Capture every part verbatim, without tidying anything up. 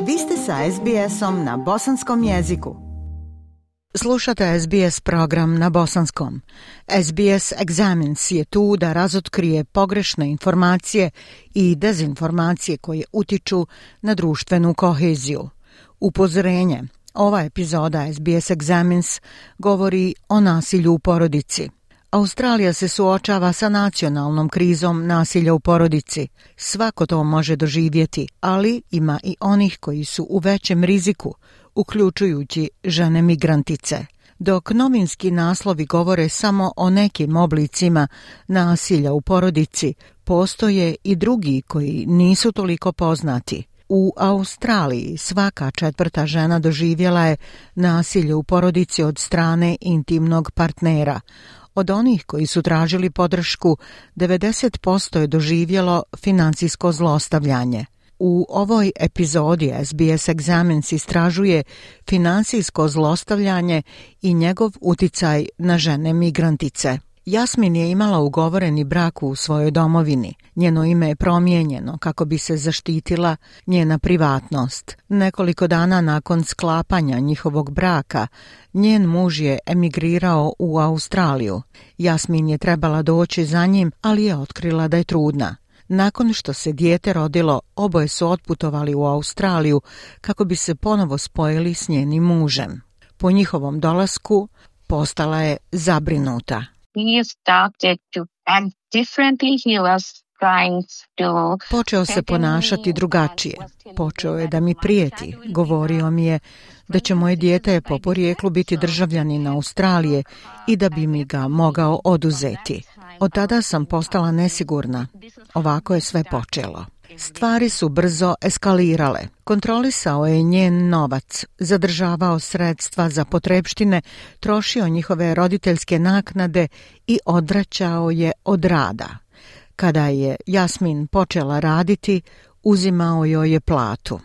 Vi ste sa es bi esom na bosanskom jeziku. Slušate es bi es program na bosanskom. es bi es Examines je tu da razotkrije pogrešne informacije i dezinformacije koje utiču na društvenu koheziju. Upozorenje. Ova epizoda es bi es Examines govori o nasilju u porodici. Australija se suočava sa nacionalnom krizom nasilja u porodici. Svako to može doživjeti, ali ima i onih koji su u većem riziku, uključujući žene migrantice. Dok novinski naslovi govore samo o nekim oblicima nasilja u porodici, postoje i drugi koji nisu toliko poznati. U Australiji svaka četvrta žena doživjela je nasilje u porodici od strane intimnog partnera. Od onih koji su tražili podršku, devedeset posto je doživjelo financijsko zlostavljanje. U ovoj epizodi es bi es Examines istražuje financijsko zlostavljanje i njegov uticaj na žene migrantice. Jasmin je imala ugovoreni brak u svojoj domovini. Njeno ime je promijenjeno kako bi se zaštitila njena privatnost. Nekoliko dana nakon sklapanja njihovog braka, njen muž je emigrirao u Australiju. Jasmin je trebala doći za njim, ali je otkrila da je trudna. Nakon što se dijete rodilo, oboje su otputovali u Australiju kako bi se ponovo spojili s njenim mužem. Po njihovom dolasku postala je zabrinuta. Počeo se ponašati drugačije. Počeo je da mi prijeti. Govorio mi je da će moje dijete po porijeklu biti državljanin Australije i da bi mi ga mogao oduzeti. Od tada sam postala nesigurna. Ovako je sve počelo. Stvari su brzo eskalirale. Kontrolisao je njen novac, zadržavao sredstva za potrepštine, trošio njihove roditeljske naknade i odvraćao je od rada. Kada je Jasmin počela raditi, uzimao joj je platu.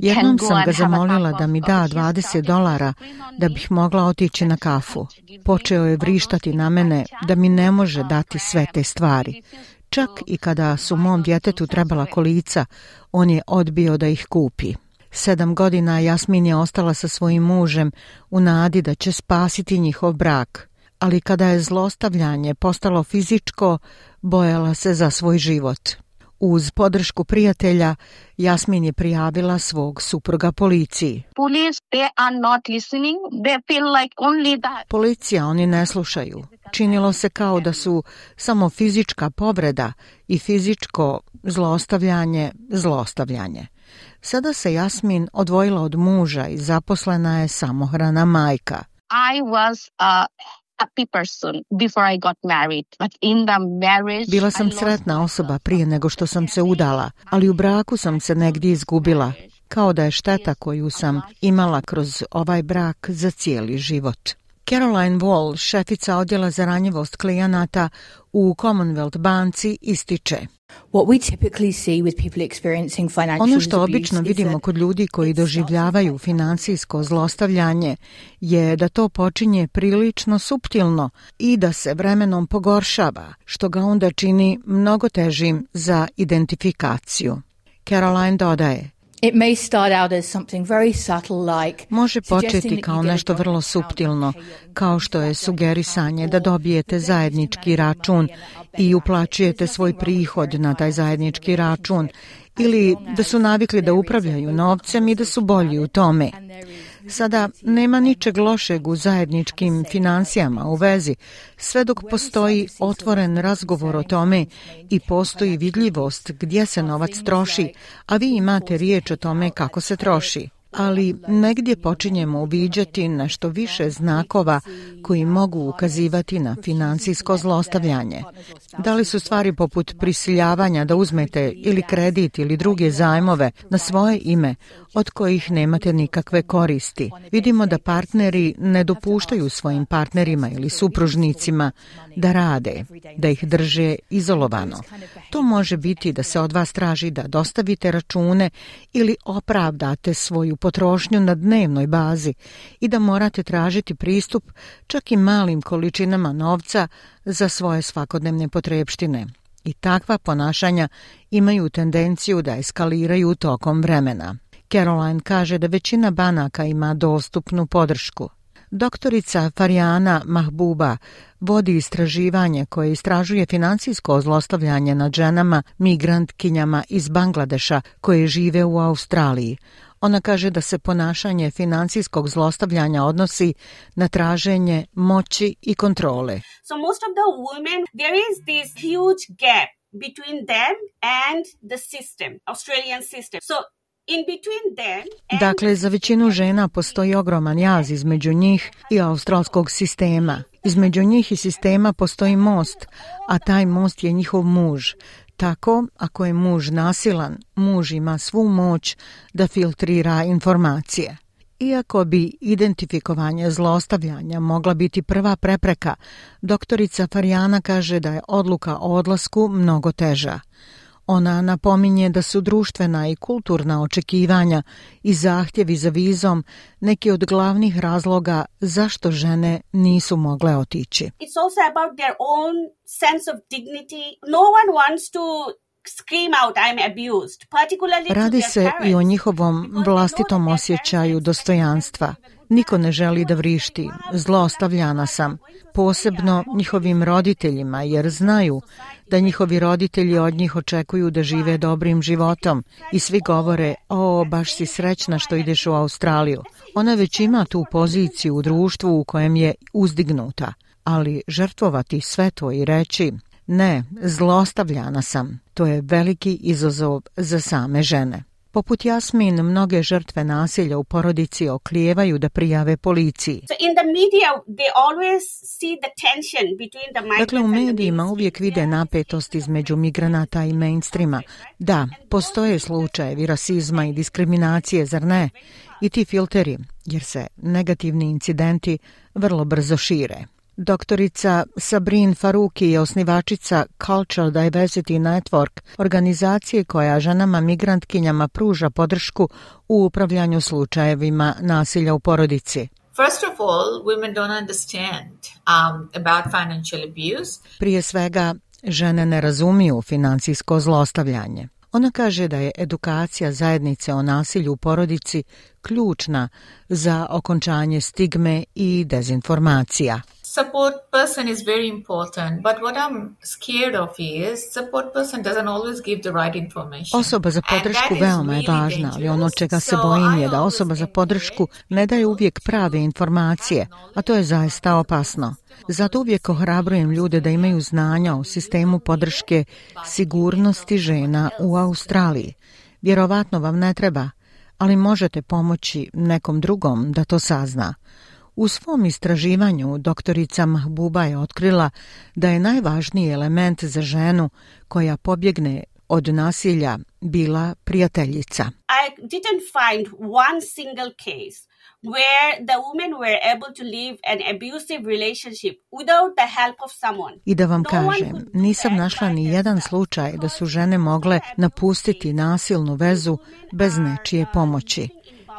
Jednom sam ga zamolila da mi da dvadeset dolara da bih mogla otići na kafu. Počeo je vrištati na mene da mi ne može dati sve te stvari. Čak i kada su mom djetetu trebala kolica, on je odbio da ih kupi. Sedam godina Jasmin je ostala sa svojim mužem u nadi da će spasiti njihov brak. Ali kada je zlostavljanje postalo fizičko, bojala se za svoj život. Uz podršku prijatelja, Jasmin je prijavila svog supruga policiji. Policija, oni ne slušaju. Činilo se kao da su samo fizička povreda i fizičko zlostavljanje, zlostavljanje. Sada se Jasmin odvojila od muža i zaposlena je samohrana majka. I was a Bila sam sretna osoba prije nego što sam se udala, ali u braku sam se negdje izgubila, kao da je šteta koju sam imala kroz ovaj brak za cijeli život. Caroline Wall, šefica odjela za ranjivost klijenata u Commonwealth banci, ističe. Ono što obično vidimo kod ljudi koji doživljavaju financijsko zlostavljanje je da to počinje prilično suptilno i da se vremenom pogoršava, što ga onda čini mnogo težim za identifikaciju. Caroline dodaje. It may start out as something very subtle like Može početi kao nešto vrlo suptilno, kao što je sugerisanje da dobijete zajednički račun i uplaćujete svoj prihod na taj zajednički račun, ili da su navikli da upravljaju novcem i da su bolji u tome. Sada nema ničeg lošeg u zajedničkim financijama u vezi, sve dok postoji otvoren razgovor o tome i postoji vidljivost gdje se novac troši, a vi imate riječ o tome kako se troši. Ali negdje počinjemo uviđati nešto više znakova koji mogu ukazivati na financijsko zlostavljanje. Da li su stvari poput prisiljavanja da uzmete ili kredit ili druge zajmove na svoje ime od kojih nemate nikakve koristi. Vidimo da partneri ne dopuštaju svojim partnerima ili supružnicima da rade, da ih drže izolovano. To može biti da se od vas traži da dostavite račune ili opravdate svoju potrošnju na dnevnoj bazi i da morate tražiti pristup čak i malim količinama novca za svoje svakodnevne potrepštine. i takva ponašanja imaju tendenciju da eskaliraju tokom vremena. Caroline kaže da većina banaka ima dostupnu podršku. Doktorica Farijana Mahbuba vodi istraživanje koje istražuje financijsko zlostavljanje nad ženama migrantkinjama iz Bangladeša koje žive u Australiji. Ona kaže da se ponašanje financijskog zlostavljanja odnosi na traženje moći i kontrole. So most of the women, there is this huge gap between them and the system, Australian system. So in between them and... Dakle, za većinu žena postoji ogroman jaz između njih i australskog sistema. Između njih i sistema postoji most, a taj most je njihov muž. Tako, ako je muž nasilan, muž ima svu moć da filtrira informacije. Iako bi identifikovanje zlostavljanja mogla biti prva prepreka, doktorica Farijana kaže da je odluka o odlasku mnogo teža. Ona napominje da su društvena i kulturna očekivanja i zahtjevi za vizom neki od glavnih razloga zašto žene nisu mogle otići. It's also about their own sense of dignity. No one wants to scream out I'm abused, particularly to Radi their se parents. i o njihovom vlastitom osjećaju dostojanstva. Niko ne želi da vrišti, zlostavljana sam, posebno njihovim roditeljima, jer znaju da njihovi roditelji od njih očekuju da žive dobrim životom i svi govore, o, baš si srećna što ideš u Australiju. Ona već ima tu poziciju u društvu u kojem je uzdignuta, ali žrtvovati sve to i reći, ne, zlostavljana sam, to je veliki izazov za same žene. Poput Jasmin, mnoge žrtve nasilja u porodici oklijevaju da prijave policiji. So in the media they always see the tension between the migrants. Dakle, u and the medijima mainstream. uvijek vide napetost između migranata i mainstreama. Da, postoje slučajevi rasizma i diskriminacije, zar ne? I ti filteri, jer se negativni incidenti vrlo brzo šire. Doktorica Sabrin Faruki je osnivačica Cultural Diversity Network, organizacije koja ženama migrantkinjama pruža podršku u upravljanju slučajevima nasilja u porodici. First of all, women don't understand um, about financial abuse. Prije svega, žene ne razumiju financijsko zlostavljanje. Ona kaže da je edukacija zajednice o nasilju u porodici ključna za okončanje stigme i dezinformacija. Support person is very important, but what I'm scared of is support person doesn't always give the right information. Osoba za podršku veoma je važna, ali ono čega se bojim je da osoba za podršku ne daje uvijek prave informacije, a to je zaista opasno. Zato uvijek ohrabrujem ljude da imaju znanja o sistemu podrške sigurnosti žena u Australiji. Vjerovatno vam ne treba, ali možete pomoći nekom drugom da to sazna. U svom istraživanju doktorica Mahbuba je otkrila da je najvažniji element za ženu koja pobjegne od nasilja bila prijateljica. I didn't find one single case where the women were able to live an abusive relationship without the help of someone. I da vam No one kažem, could do nisam that našla by ni jedan themselves. slučaj da su žene mogle napustiti nasilnu vezu bez nečije pomoći.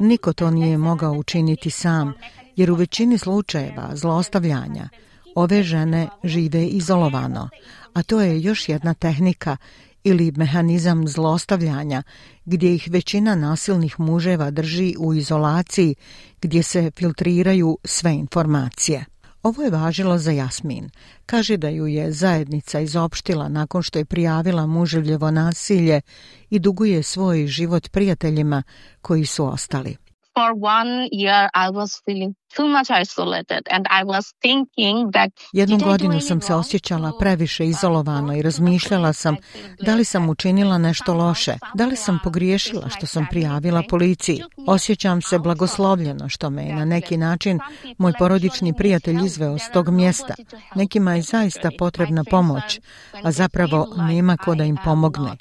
Niko to nije mogao učiniti sam, jer u većini slučajeva zlostavljanja ove žene žive izolovano, a to je još jedna tehnika ili mehanizam zlostavljanja gdje ih većina nasilnih muževa drži u izolaciji gdje se filtriraju sve informacije. Ovo je važilo za Jasmin. Kaže da ju je zajednica izopštila nakon što je prijavila muževljevo nasilje i duguje svoj život prijateljima koji su ostali. For one year I was feeling too much isolated and I was thinking that Jednu did I do godinu any sam se wrong osjećala to- previše izolovano i razmišljala sam da li sam učinila nešto loše, da li sam pogriješila što sam prijavila policiji. Osjećam se blagoslovljeno što me je na neki način moj porodični prijatelj izveo s tog mjesta. Nekima je zaista potrebna pomoć, a zapravo nema ko da im pomogne.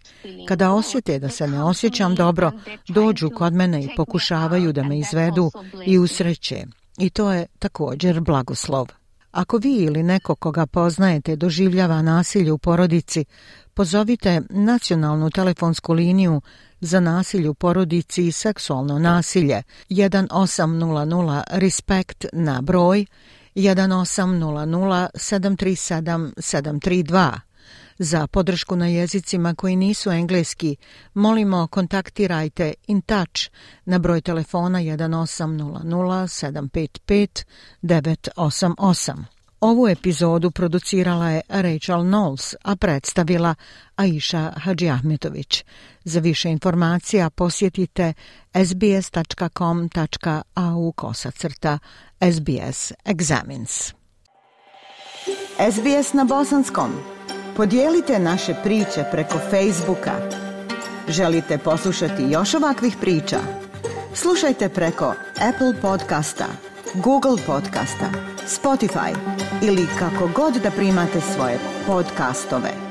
Kada osjete da se ne osjećam dobro, dođu kod mene i pokušavaju da me izvedu i usreće. I to je također blagoslov. Ako vi ili neko koga poznajete doživljava nasilje u porodici, pozovite nacionalnu telefonsku liniju za nasilje u porodici i seksualno nasilje jedan osam nula nula respekt na broj jedan osam nula nula sedam tri sedam sedam tri dva. Za podršku na jezicima koji nisu engleski, molimo kontaktirajte In Touch na broj telefona jedan osam nula nula sedam pet pet devet osam osam. Ovu epizodu producirala je Rachel Knowles, a predstavila Aisha Hadžiahmetović. Za više informacija posjetite sbs.com.au kosacrta SBS Examines. S B S na bosanskom. Podijelite naše priče preko Facebooka. Želite poslušati još ovakvih priča? Slušajte preko Apple podcasta, Google podcasta, Spotify ili kako god da primate svoje podcastove.